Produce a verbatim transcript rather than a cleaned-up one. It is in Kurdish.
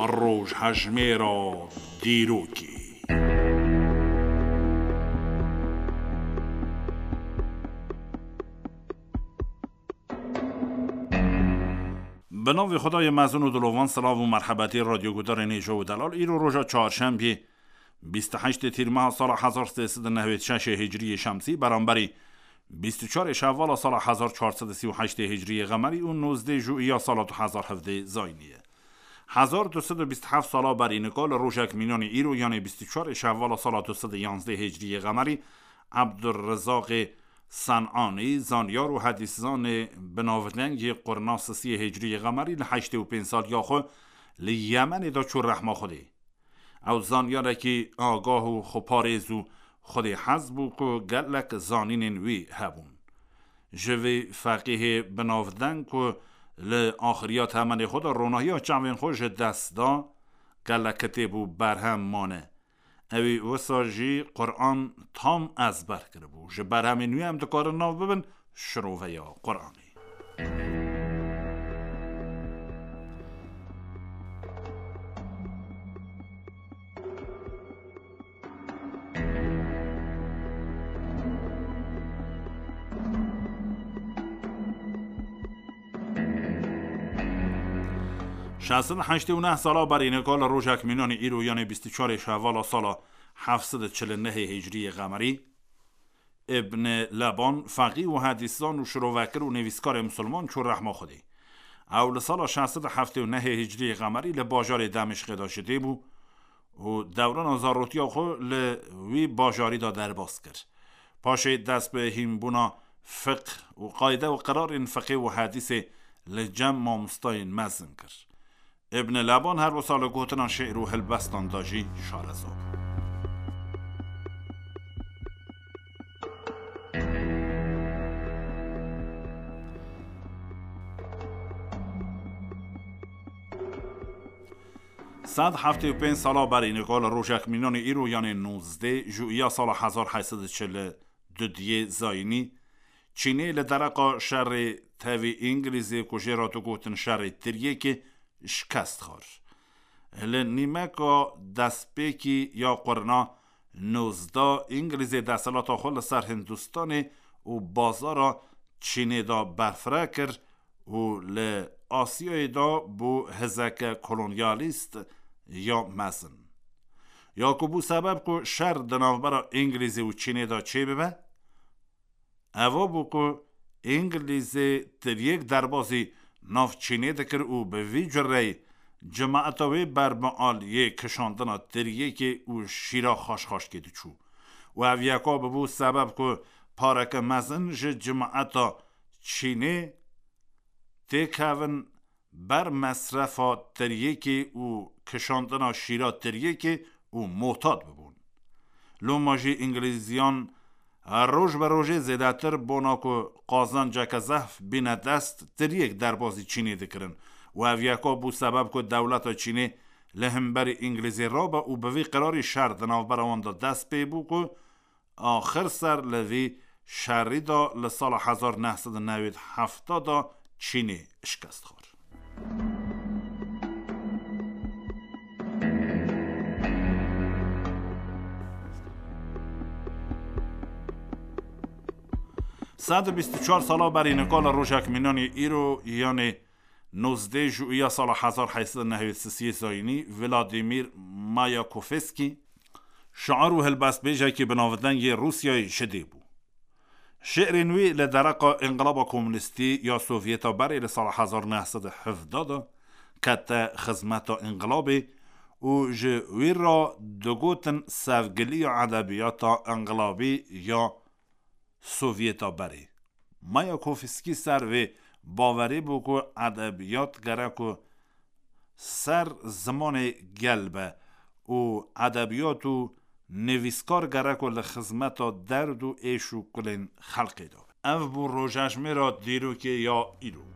Rojhejmêra dîrokê. Bi navê Xwedayê mezin û dilovan, silav û merhebetê radyogudarên hêja û delal. Îro roja çarşembiyê, bîst û heştê tîrmeha sala hezar sê sed û newêd şeşê hicriyê şemsî, beramberî bîst û çarê şevala sala hezar çar sed û sî û heştê hicriyê qemerî û nozdê juiya sala du hezar hevdê zayînî ye. Hezar du sed û bîst û heft sala berî nika li rojek mînanî îro, yanê bîst û çarê şevala sala du sed û yanzdê hicriyê qemerî, Ebdurrizaqê Senanî, zanyar û hedîszanê bi navdeng yê qurna sisiyê hicriyê qemerî, li heştê û pênc saliya xwe li Yemenê de çû rehma Xwedê. Ew zanyarekî agah û xweparêz û xwedêhez bû ku gelek zanînên wî hebûn. Ji vî feqîhê bi navdeng ku li axiriya temenê xwe de ronahiya çavên xwe ji dest da, gelek kitêb û berhem mane. Ewî wisa jî Quran tam ezber kiribû. Ji berhemên wî em dikarin nav bibin şiroveya Quranê. Şeş sed û heştê û neh sala berî nika li rojek mînanî îro, yanê bîst û çarê şevala sala heft sed û çil û nehê hicriyê qemerî, Ibn Leban, feqî û hedîszan û şirovekir û nivîskarê misilman çû rehma Xwedê. Ew li sala şeş sed û heftê û nehê hicriyê qemerî li bajarê Demişqê de ji dê bû û dewrana zarotiya xwe li wî bajarî de derbas kir. Paşê dest bi hînbûna fiqh û qayde û qirarên fiqê û hedîsê li cem mamostayên mezin kir. Ibn Leban her wisa li gotina şi'r û helbestan de jî şareza bû. Sed heftê û pênc sala berî nika li rojek mînanê îro, yanê nozdê juiya sala hezar heyt sed û çil û duyê zayînî, Çînê li dereqa şerê tevî Îngilîzê ku jê re digotin şerê tiryêkê, şikest xwar. Li nîmeka destpêkî ya qurna nozdeh Îngilîzê desthilata xwe li ser Hindistanê û bazara Çînê de berfireh kir û li Asyayê de bû hizeke kolonyalîst ya mezin. Ya ku bû sebeb ku şer di navbera Îngilîzê û Çînê de çêbibe, eva bû ku Îngilîzê tiryêk derbazî nav Çînê dikir û bi vî cureyî cimaeta wê ber bi aliyê kişandina tiryêkê û şîra xaşxaşkê diçû. Û ev yeka bibû sebeb ku pareke mezin ji cimaeta Çînê têkevin ber mesrefa tiryêkê û kişandina şîra tiryêkê û motat bibûn. Loma jî Îngilîziyan roj bi rojê zêdetir bona ku qazanceke zehf bîne dest tiryêk derbazî Çînê dikirin û ev yeka bû sebeb ku dewleta Çînê li hemberî Îngilîzê rabe û bi vî qirarî şer di navbera wan de dest pê bû ku axir ser li vî şerî de li sala hezar neh sed û newêd heft de Çînê şikest xwar. Sed û bîst û çar sala berî nika li rojek mînanî îro, yanê nozdeh juiya sala hezar heyt sed û newêd sisiyê zayînî, Vladimir Mayakovskî, şair û helbestbêjekî bi navdeng yê Rûsyayê ji dê bû. Şi'rên wî li dereqa Înqilaba Komûnîstî ya Sovyeta berê li sala hezar neh sed û hevdeh de kete xizmeta înqilabê û ji wî re digotin sevgiliya edebiyata înqilabî ya Sovyeta berê. Mayakovskî ser vê bawerê bû ku edebiyat gerek ku ser zimanê gel be û edebiyat û nivîskar gerek ku li xizmeta derd û êş û kulên xelkê de be. Ev bû rojejmêra dîrokê ya îro.